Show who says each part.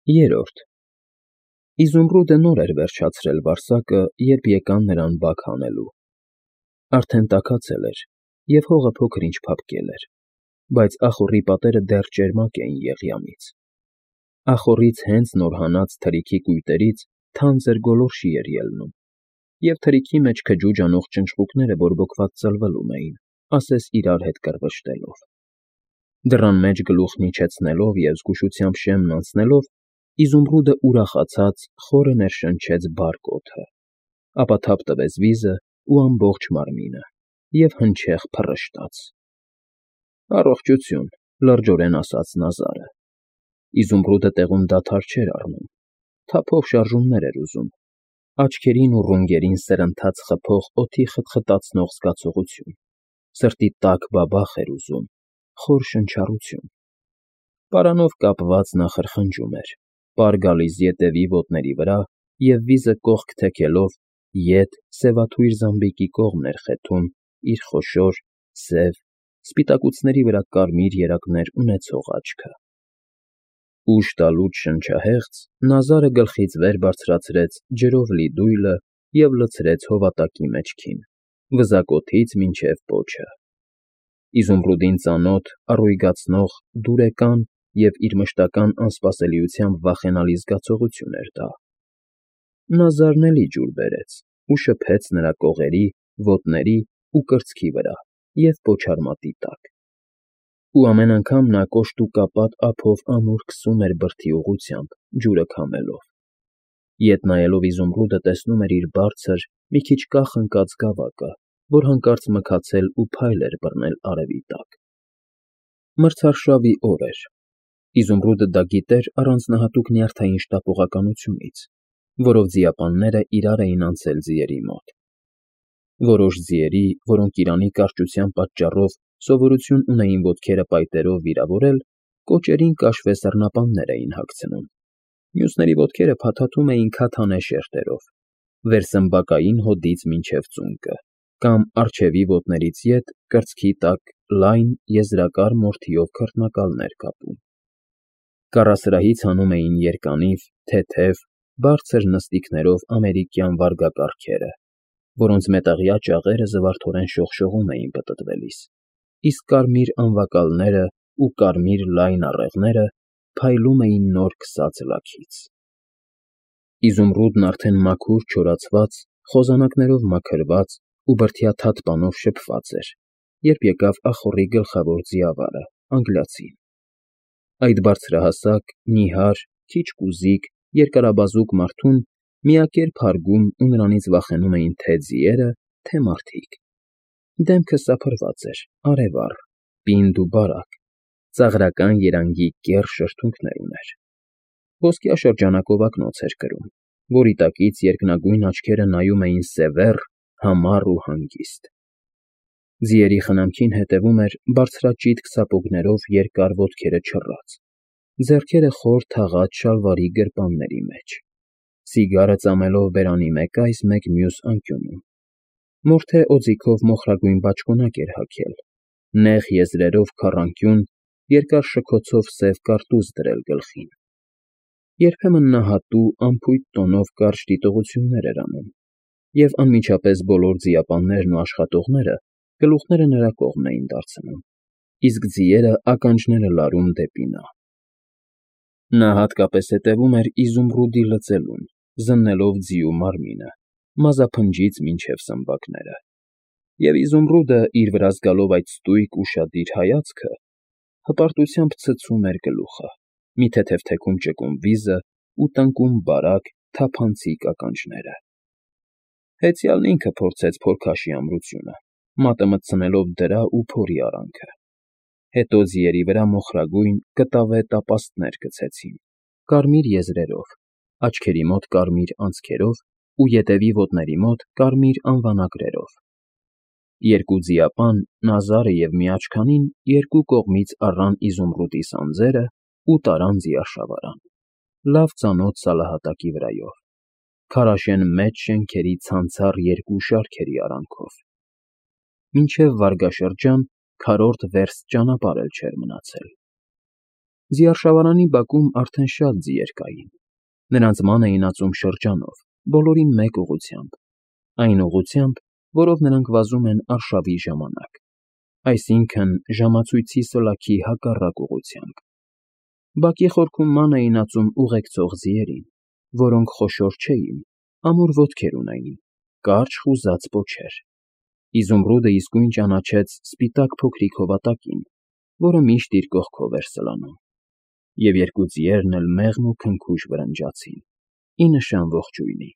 Speaker 1: Երրորդ Իզումրուդը նոր էր վերջացրել վարսակը, երբ եկան նրան բակ հանելու։ Արդեն տաքացել էր, և հողը փոքր-ինչ փափկել էր, բայց ախոռի պատերը դեռ ճերմակ էին եղյամից։ Ախոռից հենց նոր հանած թրիքի կույտերից թանձր գոլորշի էր ելնում, և թրիքի մեջ քջուջ անող ճնճղուկները բորբոքված ծլվլում էին, ասես իրար հետ կռվշտելով։ Դռան մեջ գլուխն իջեցնելով և զգուշությամբ շեմն անցնելով, Իզումրուդը ուրախացած խորը ներշնչեց բարկ օդը, ապա թափ տվեց վիզը ու ամբողջ մարմինը և հնչեղ փռշտաց։ «Առողջություն», լրջորեն ասաց Նազարը։ Իզումրուդը տեղում դադար չէր առնում, թափով շարժումներ էր ուզում, աչքերին ու ռունգերին սրընթաց խփող օդի խտխտացնող զգացողություն, սրտի տաք բաբախ էր ուզում, խոր շնչառություն։ Պարանով կապված նա խրխնջում էր, պար գալիս ետևի ոտների վրա և վիզը կողք թեքելով ետ սևաթույր զամբիկի կողմն էր խեթում իր խոշոր, սև, սպիտակուցների վրա կարմիր երակներ ունեցող աչքը։ Ուշ տալուց շնչահեղձ Նազարը գլխից վեր բարձրացրեց ջրով լի դույլը և լցրեց հովատակի մեջքին, վզակոթից մինչև պոչը։ Իզումրուդին ծանոթ, առույգացնող, դուրեկան և իր մշտական անսպասելիությամբ վախենալի զգացողություն էր դա։ Նազարն էլի ջուր բերեց ու շփեց նրա կողերի, ոտների ու կրծքի վրա և պոչարմատի տակ։ Ու ամեն անգամ նա կոշտուկապատ ափով ամուր քսում էր բրդի ուղղությամբ, ջուրը քամելով։ Ետ նայելով Իզումրուդը տեսնում էր իր բարձր, մի քիչ կախ ընկած գավակը, որ հանկարծ մքացել ու փայլ էր բռնել արևի տակ։ Մրցարշավի օր էր։ Իզումրուդը դա գիտեր առանձնահատուկ նյարդային շտապողականությունից, որով ձիապանները իրար էին անցել ձիերի մոտ։ Որոշ ձիերի, որոնք Իրանի կարճության պատճառով սովորություն ունեին ոտքերը պայտերով վիրավորել, կոճերին կաշվե սառնապաններ էին հագցնում, մյուսների ոտքերը փաթաթում էին քաթանե շերտերով, վերսմբակային հոդից մինչև ծունկը, կամ առջևի ոտներից ետ կրծքի տակ լայն, եզրակար մորթիով քրտնակալներ կապում։ Կառասրահից հանում էին երկանիվ, թեթև, բարձր նստիքներով ամերիկյան վարգակառքերը, որոնց մետաղյա ճաղերը զվարթորեն շողշողում էին պտտվելիս, իսկ կարմիր անվակալները ու կարմիր լայն առեղները փայլում էին նոր քսած լաքից։ Իզումրուդն արդեն մաքուր չորացված, խոզանակներով մաքրված ու բրդյաթաթ պանով շփված էր, երբ եկավ ախոռի գլխավոր ձիավարը, անգլիացին։ Այդ բարձրահասակ, նիհար, քիչ կուզիկ, երկարաբազուկ մարդուն միակերպ հարգում ու նրանից վախենում էին թե ձիերը, թե մարդիկ։ Դեմքը սափրված էր, արևառ, պինդ ու բարակ, ծաղրական երանգի կեռ շրթունքներ ուներ։ Ոսկյա շրջանակով ակնոց էր կրում, որի տակից երկնագույն աչքերը նայում էին սևեռ, համառ ու հանգիստ։ Ձիերի խնամքին հետևում էր բարձրաճիտ քսապոգներով երկար ոտքերը չռած, ձեռքերը խոր թաղած շալվարի գրպանների մեջ, սիգարը ծամելով բերանի մեկ այս, մեկ մյուս անկյունում։ Մորթե օձիքով մոխրագույն բաճկոնակ էր հագել, նեղ եզրերով քառանկյուն, երկար շքոցով սև կարտուզ դրել գլխին։ Երբեմն նա հատու, անփույթ տոնով կարճ դիտողություններ էր անում, և անմիջապես բոլոր ձիապաններն ու աշխատողները գլուխները նրա կողմն էին դարձնում, իսկ ձիերը ականջները լարում դեպի նա։ Նա հատկապես հետևում էր Իզումրուդի լծելուն, զննելով ձիու մարմինը, մազափնջից մինչև սմբակները։ Եվ Իզումրուդը, իր վրա զգալով այդ ստույգ, ուշադիր հայացքը, հպարտությամբ ցցում էր գլուխը, մի թեթև թեքում ճկում վիզը ու տնկում բարակ, թափանցիկ ականջները։ Հեծյալն ինքը փորձեց փորքաշի ամրությունը, մատը մտցնելով դրա ու փորի արանքը։ Հետո ձիերի վրա մոխրագույն, կտավե տապաստներ գցեցին, կարմիր եզրերով, աչքերի մոտ կարմիր անցքերով ու ետևի ոտների մոտ կարմիր անվանակրերով։ Երկու ձիապան, Նազարը և միաչքանին, երկու կողմից առան Իզումրուդի սանձերը ու տարան ձիաշավարան, լավ ծանոթ սալահատակի վրայով, քարաշեն մեծ շենքերի ցանցառ երկու շարքերի արանքով։ Մինչև վարգաշրջան քառորդ վերստ ճանապարհ էլ չէր մնացել։ Զիարշավարանի բակում արդեն շատ ձիեր կային. նրանց ման էին ածում շրջանով, բոլորին մեկ ուղղությամբ, այն ուղղությամբ, որով նրանք վազում են արշավի ժամանակ, այսինքն՝ ժամացույցի սլաքի հակառակ ուղղությամբ։ Բակի խորքում ման էին ածում ուղեկցող ձիերին, որոնք խոշոր չէին, ամուր ոտքեր ունեին, կարճ խուզած պոչեր։ Իզումրուդը իսկույն ճանաչեց սպիտակ փոքրիկ հովատակին, որը միշտ իր կողքով էր սլանում, և երկու ձիերն էլ մեղմ ու քնքուշ վրնջացին, ի նշան ողջույնի։